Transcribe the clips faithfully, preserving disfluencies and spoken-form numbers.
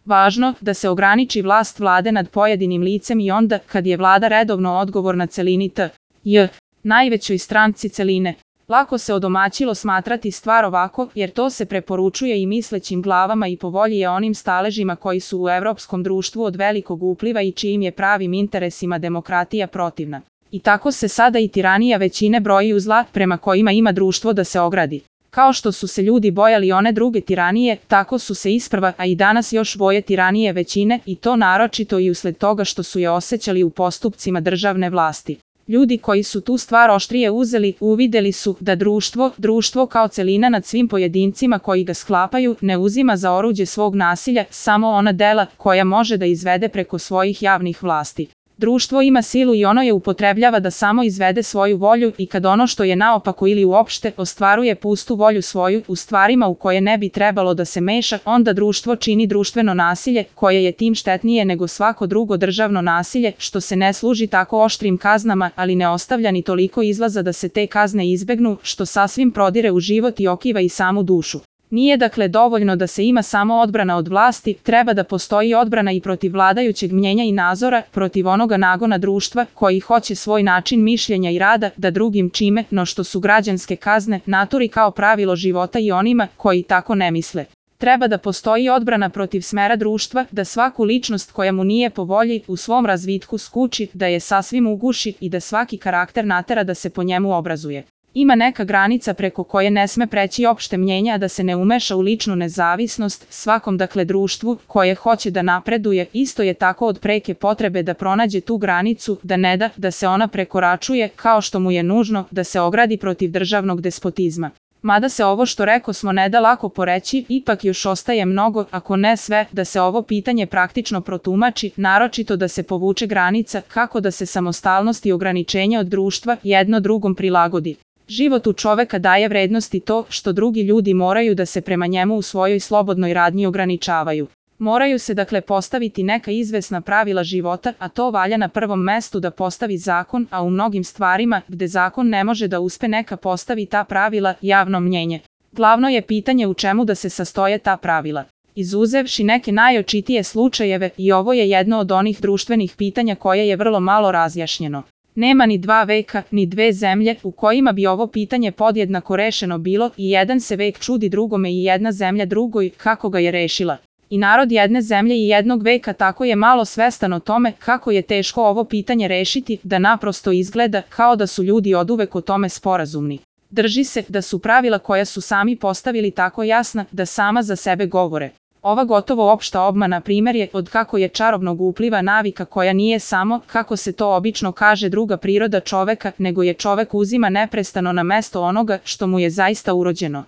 važno da se ograniči vlast vlade nad pojedinim licem i onda kad je vlada redovno odgovorna celini T J, najvećoj stranci celine. Lako se odomaćilo smatrati stvar ovako, jer to se preporučuje i mislećim glavama i po volji je onim staležima koji su u evropskom društvu od velikog upliva i čijim je pravim interesima demokratija protivna. I tako se sada i tiranija većine broji u zla prema kojima ima društvo da se ogradi. Kao što su se ljudi bojali one druge tiranije, tako su se isprva, a i danas još boje tiranije većine, i to naročito i usled toga što su je osjećali u postupcima državne vlasti. Ljudi koji su tu stvar oštrije uzeli, uvideli su da društvo, društvo kao celina nad svim pojedincima koji ga sklapaju, ne uzima za oruđe svog nasilja samo ona dela koja može da izvede preko svojih javnih vlasti. Društvo ima silu i ono je upotrebljava da samo izvede svoju volju i kad ono što je naopako ili uopšte ostvaruje pustu volju svoju u stvarima u koje ne bi trebalo da se meša, onda društvo čini društveno nasilje koje je tim štetnije nego svako drugo državno nasilje što se ne služi tako oštrim kaznama, ali ne ostavlja ni toliko izlaza da se te kazne izbegnu, što sasvim prodire u život i okiva i samu dušu. Nije dakle dovoljno da se ima samo odbrana od vlasti, treba da postoji odbrana i protiv vladajućeg mnjenja i nazora, protiv onoga nagona društva koji hoće svoj način mišljenja i rada da drugim čime, no što su građanske kazne, naturi kao pravilo života i onima koji tako ne misle. Treba da postoji odbrana protiv smera društva, da svaku ličnost koja mu nije po volji u svom razvitku skuči, da je sasvim uguši i da svaki karakter natera da se po njemu obrazuje. Ima neka granica preko koje ne sme preći opšte mnjenja, a da se ne umeša u ličnu nezavisnost, svakom dakle društvu koje hoće da napreduje, isto je tako od preke potrebe da pronađe tu granicu, da ne da da se ona prekoračuje, kao što mu je nužno da se ogradi protiv državnog despotizma. Mada se ovo što reko smo ne da lako poreći, ipak još ostaje mnogo, ako ne sve, da se ovo pitanje praktično protumači, naročito da se povuče granica, kako da se samostalnost i ograničenje od društva jedno drugom prilagodi. Životu čoveka daje vrednosti to što drugi ljudi moraju da se prema njemu u svojoj slobodnoj radnji ograničavaju. Moraju se dakle postaviti neka izvesna pravila života, a to valja na prvom mestu da postavi zakon, a u mnogim stvarima, gde zakon ne može da uspe neka postavi ta pravila, javno mnjenje. Glavno je pitanje u čemu da se sastoje ta pravila. Izuzevši neke najočitije slučajeve, i ovo je jedno od onih društvenih pitanja koje je vrlo malo razjašnjeno. Nema ni dva veka, ni dve zemlje u kojima bi ovo pitanje podjednako rešeno bilo i jedan se vek čudi drugome i jedna zemlja drugoj kako ga je rešila. I narod jedne zemlje i jednog veka tako je malo svestan o tome kako je teško ovo pitanje rešiti, da naprosto izgleda kao da su ljudi oduvek o tome sporazumni. Drži se da su pravila koja su sami postavili tako jasna da sama za sebe govore. Ova gotovo opšta obmana primjer je od kako je čarobnog upliva navika koja nije samo, kako se to obično kaže, druga priroda čoveka, nego je čovek uzima neprestano na mesto onoga što mu je zaista urođeno.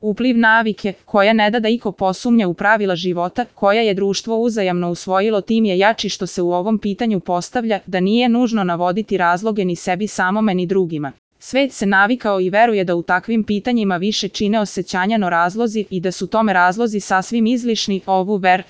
Upliv navike, koja ne da da iko posumnja u pravila života, koja je društvo uzajamno usvojilo, tim je jači što se u ovom pitanju postavlja da nije nužno navoditi razloge ni sebi samome ni drugima. Svet se navikao i veruje da u takvim pitanjima više čine osjećanja no razlozi i da su tome razlozi sasvim izlišni. Ovu ver